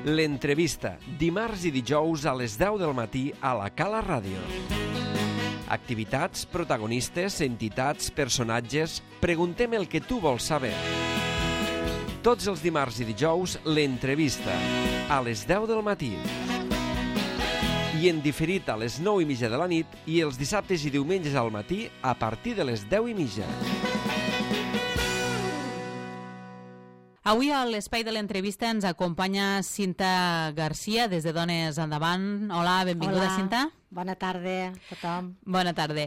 L'entrevista, dimarts i dijous a les 10 del matí a la Cala Ràdio. Activitats, protagonistes, entitats, personatges... Preguntem el que tu vols saber. Tots els dimarts i dijous, l'entrevista, a les 10 del matí. I en diferit a les 9:30 de la nit i els dissabtes i diumenges al matí a partir de les 10:30. Avui a l'espai de l'entrevista ens acompanya Cinta Garcia des de Dones Endavant. Hola, benvinguda. Hola. Cinta. Bona tarda a tothom. Bona tarda.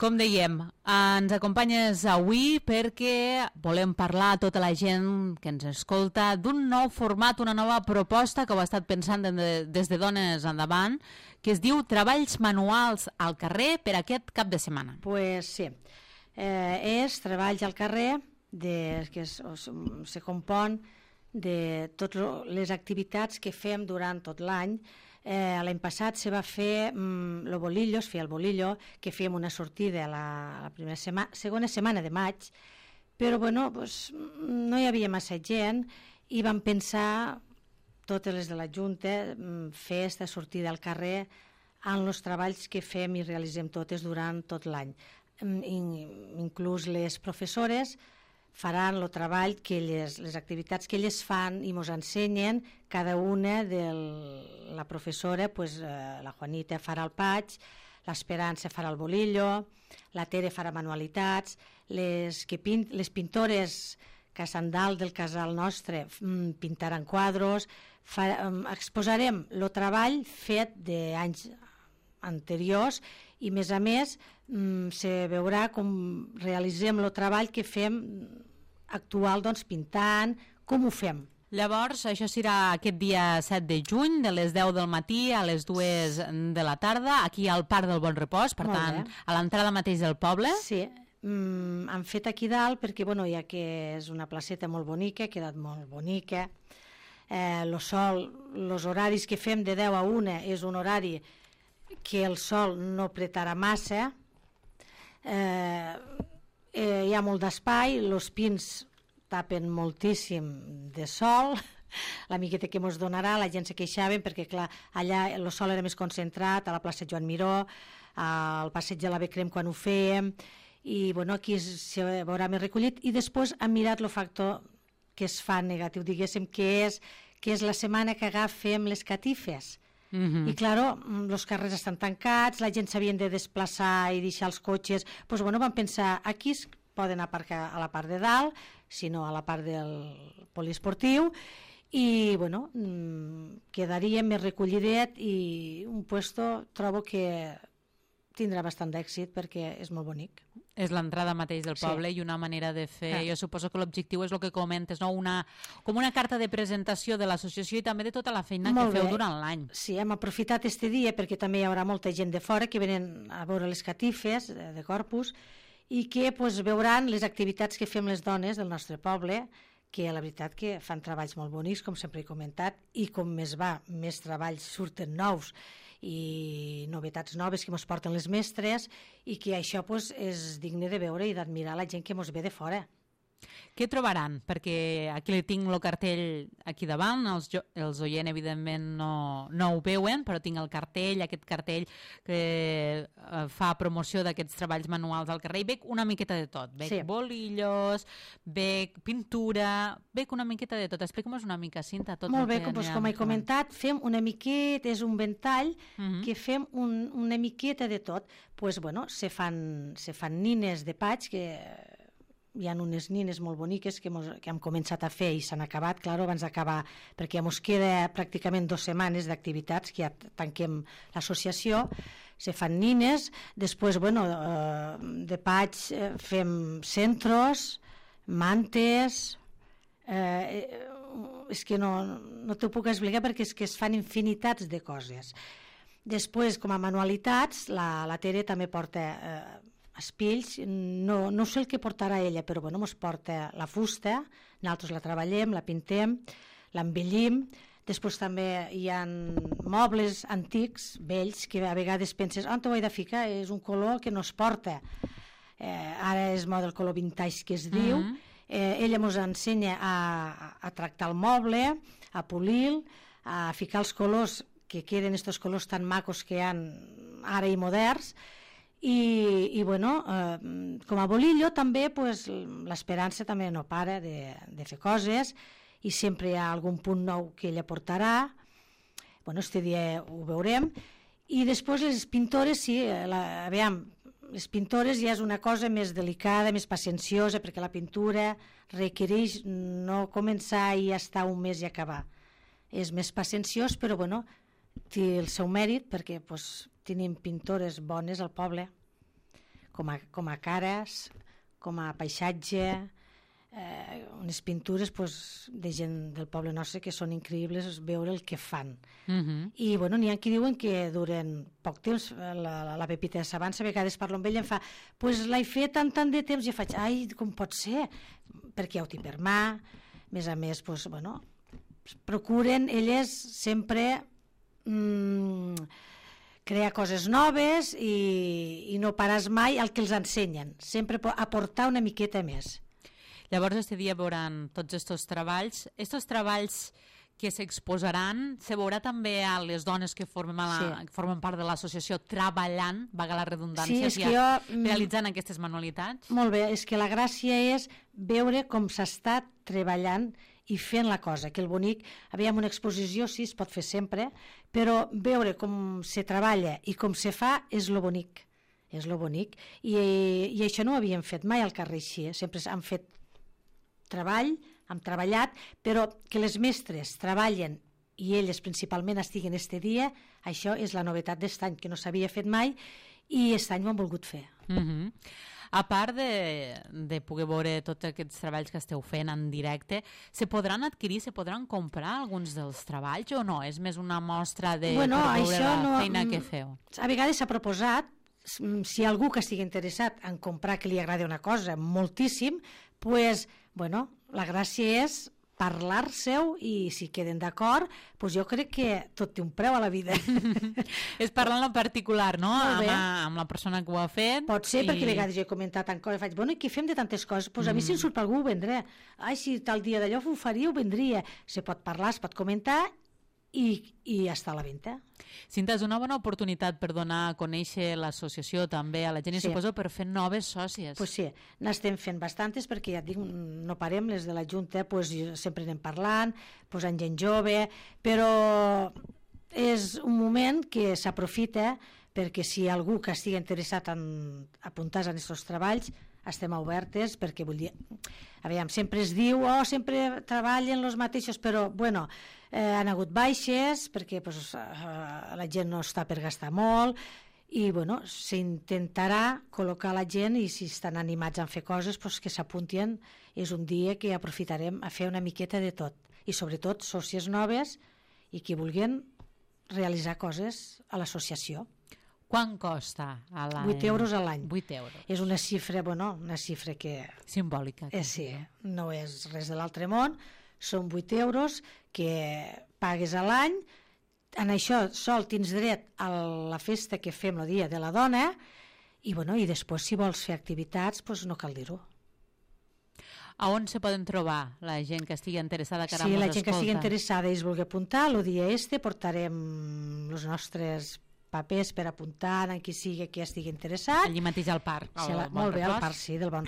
Com dèiem, ens acompanyes avui perquè volem parlar a tota la gent que ens escolta d'un nou format, una nova proposta que ho ha estat pensant des de Dones Endavant, que es diu Treballs Manuals al carrer per aquest cap de setmana. Pues sí, és Treballs al carrer, que se compon de totes les activitats que fem durant tot l'any. L'any passat se va fer el bolillo, es feia el bolillo, que fèiem una sortida la segona setmana de maig, però bueno, pues, no hi havia massa gent i vam pensar, totes les de la Junta, fer aquesta sortida al carrer en els treballs que fem i realitzem totes durant tot l'any. Inclús les professores faran el treball, les activitats que elles fan i ens ensenyen, cada una de la professora, pues, la Juanita farà el patx, l'Esperança farà el bolillo, la Tere farà manualitats, les pintores que estan dalt del casal nostre pintaran quadros, exposarem el treball fet d'anys anteriors i a més se veurà com realitzem el treball que fem actual, doncs pintant, com ho fem. Llavors, això serà aquest dia 7 de juny, de les 10 del matí a les 2 de la tarda, aquí al Parc del Bon Repòs, per tant, a l'entrada mateix del poble. Sí, han fet aquí dalt perquè, bueno, ja que és una placeta molt bonica, ha quedat molt bonica. El sol, els horaris que fem de 10 a 1 és un horari que el sol no apretarà massa, hi ha molt d'espai, els pins tapen moltíssim de sol, la miqueta que ens donarà, la gent se queixaven perquè clar, allà el sol era més concentrat, a la plaça Joan Miró, al passeig de la Becrem quan ho fèiem, i bueno, aquí se veurà més recollit, i després han mirat el factor que es fa negatiu, diguéssim, que és la setmana que agafem les catifes. I claro, els carrers estan tancats, la gent s'havien de desplaçar i deixar els cotxes, doncs bueno, vam pensar, aquí es poden aparcar a la part de dalt, si no a la part del poliesportiu, i bueno, quedaria més recollidet i un puesto trobo que tindrà bastant d'èxit perquè és molt bonic. És l'entrada mateix del poble i una manera de fer. Jo suposo que l'objectiu és el que comentes, no? Com una carta de presentació de l'associació i també de tota la feina que feu durant l'any. Sí, hem aprofitat este dia perquè també hi haurà molta gent de fora que venen a veure les catifes de Corpus i que veuran les activitats que fem les dones del nostre poble, que la veritat que fan treballs molt bonics, com sempre he comentat, i com més va, més treballs surten nous i novetats noves que ens porten les mestres i que això és digne de veure i d'admirar la gent que ens ve de fora. Què trobaran? Perquè aquí tinc el cartell aquí davant, els oient evidentment no ho veuen, però tinc el cartell, aquest cartell que fa promoció d'aquests treballs manuals al carrer, i veig una miqueta de tot, veig bolillos, veig pintura, veig una miqueta de tot. Explica'm-nos una mica, Cinta, tot. Molt bé, com he comentat, fem una miqueta, és un ventall que fem una miqueta de tot. Doncs bueno, se fan nines de patx que hi ha unes nines molt boniques que hem començat a fer i s'han acabat, clar, abans d'acabar, perquè ens queda pràcticament 2 setmanes d'activitats que ja tanquem l'associació, se fan nines, després, bueno, de patx fem centros, mantes, és que no t'ho puc explicar perquè és que es fan infinitats de coses. Després, com a manualitats, la Tere també porta espills, no sé el que portarà ella, però bueno, ens porta la fusta, nosaltres la treballem, la pintem, l'embellim, després també hi ha mobles antics, vells, que a vegades penses, on t'ho he de ficar? És un color que no es porta. Ara és moda el color vintage que es diu, ella ens ensenya a tractar el moble, a polir-lo, a ficar els colors, que queden estos colors tan macos que hi ha ara i moderns, i bueno, com a bolillo també pues, l'esperança també no para de fer coses, i sempre hi ha algun punt nou que ella portarà. Bueno, este dia ho veurem. I després les pintores, sí, aviam, les pintores ja és una cosa més delicada, més pacienciosa, perquè la pintura requereix no començar i estar un mes i acabar. És més pacienciós, però bueno, té el seu mèrit, perquè pues, tenim pintores bones al poble, com a cares, com a paisatge, unes pintures pues, de gent del poble nostre que són increïbles veure el que fan. I bueno, n'hi ha qui diuen que duren poc temps. La Pepita de Sabança, a vegades parlo amb ella i em fa pues l'he fet tant de temps, i jo faig, ai, com pot ser? Perquè ja ho tinc per mà. A més, pues, bueno, procuren elles sempre crear coses noves i no pares mai al que els ensenyen, sempre aportar una miqueta més. Llavors, este dia veuran tots estos treballs. Estos treballs que s'exposaran, se veurà també a les dones que formen part de l'associació treballant, vaga la redundància, realitzant aquestes manualitats? Molt bé, és que la gràcia és veure com s'està treballant i fent la cosa, que el bonic, aviam, una exposició sí, es pot fer sempre, però veure com se treballa i com se fa és lo bonic. És lo bonic. I això no ho havíem fet mai al carrer així, sempre han fet treball, hem treballat, però que les mestres treballen i elles principalment estiguen este dia, això és la novetat d'est any, que no s'havia fet mai i aquest any ho han volgut fer. A part de poder veure tots aquests treballs que esteu fent en directe, se podran adquirir, se podran comprar alguns dels treballs o no? És més una mostra per veure la feina que feu? A vegades s'ha proposat, si algú que estigui interessat en comprar, que li agrada una cosa moltíssim, pues, bueno, la gràcia és parlar-seu i si queden d'acord, doncs jo crec que tot té un preu a la vida. És parlar en particular, no? Amb la persona que ho ha fet. Pot ser, perquè a vegades jo he comentat en coses, faig, bueno, i què fem de tantes coses? Doncs a mi si em surt per algú ho vendré. Ai, si tal dia d'allò ho faria, ho vendria. Se pot parlar, es pot comentar i està a la venda. Cinta, és una bona oportunitat per donar a conèixer l'associació també a la gent i suposo per fer noves sòcies. Pues sí, n'estem fent bastantes perquè ja et dic, no parem, les de la Junta pues, sempre anem parlant, posant gent jove, però és un moment que s'aprofita perquè si algú que estigui interessat en apuntar-se en aquests treballs estem obertes perquè vull dir, aviam, sempre es diu sempre treballen els mateixos, però bueno, han hagut baixes perquè pues, la gent no està per gastar molt i bueno, s'intentarà col·locar la gent i si estan animats a fer coses pues, que s'apuntin. És un dia que aprofitarem a fer una miqueta de tot i sobretot sòcies noves i que vulguin realitzar coses a l'associació. Quant costa a l'any? 8 euros a l'any. 8 euros. És una xifra, bueno, una xifra que... Simbòlica. Sí, no és res de l'altre món, són 8 euros que pagues a l'any, en això sol tens dret a la festa que fem el dia de la dona i, bueno, i després si vols fer activitats doncs no cal dir-ho. A on se poden trobar la gent que estigui interessada que ara Sí, mos la gent que escolta? estigui interessada i es vulgui apuntar, el dia portarem els nostres papers per apuntar en qui sigui que estigui interessat. Allí mateix al parc. Molt bé, al parc, sí, del Bon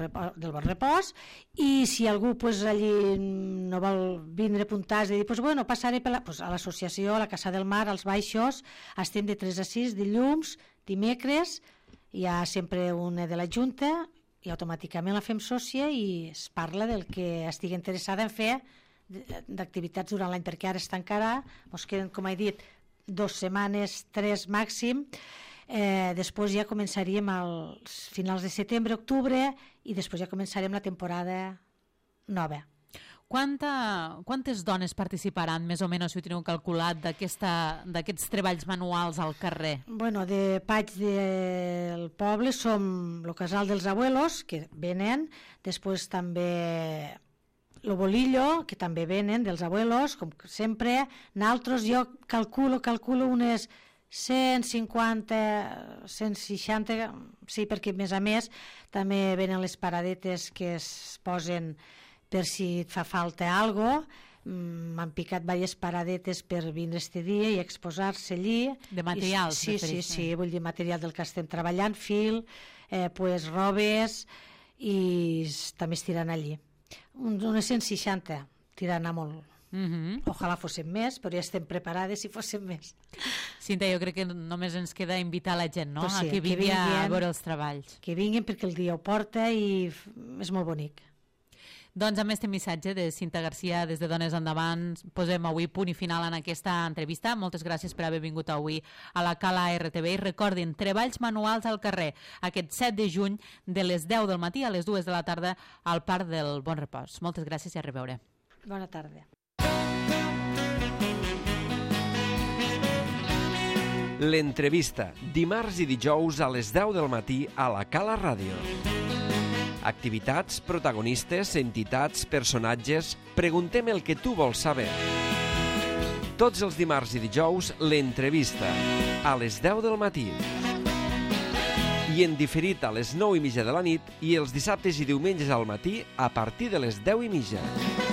Repòs. I si algú pues, allí no vol vindre a apuntar, és de dir, pues, bueno, passaré a l'associació, a la Casa del Mar, als Baixos, estem de 3 a 6, dilluns, dimecres, hi ha sempre una de la Junta i automàticament la fem sòcia i es parla del que estigui interessada en fer d'activitats durant l'any, perquè ara es tancarà, ens queden, com he dit, 2 setmanes, 3 màxim. Després ja començaríem als finals de setembre, octubre i després ja començarem la temporada nova. Quantes dones participaran, més o menys, si ho teniu calculat, d'aquests treballs manuals al carrer? Bueno, de Paig del poble som el Casal dels Abuelos, que venen, després també el Bolillo, que també venen dels abuelos, com sempre. Nosaltres jo calculo unes 150, 160, sí, perquè a més també venen les paradetes que es posen per si et fa falta alguna cosa, m'han picat diverses paradetes per vindre este dia i exposar-se allí. De materials, sí, vull dir material del que estem treballant, fil, pues, robes, i també es tiran allí. Unes 160 tirant a molt. Ojalà fóssim més, però ja estem preparades si fóssim més. Cinta, jo crec que només ens queda invitar la gent, no? Pues sí, a que vingui a veure els treballs. Que vinguin perquè el dia ho porta i és molt bonic. Doncs amb este missatge de Cinta Garcia des de Dones Endavant posem avui punt i final en aquesta entrevista. Moltes gràcies per haver vingut avui a la Cala RTV i recordin, treballs manuals al carrer aquest 7 de juny de les 10 del matí a les 2 de la tarda al Parc del Bon Repòs. Moltes gràcies i a reveure. Bona tarda. L'entrevista, dimarts i dijous a les 10 del matí a la Cala Ràdio. Activitats, protagonistes, entitats, personatges... Preguntem el que tu vols saber. Tots els dimarts i dijous, l'entrevista, a les 10 del matí. I en diferit a les 9:30 de la nit i els dissabtes i diumenges al matí a partir de les 10:30.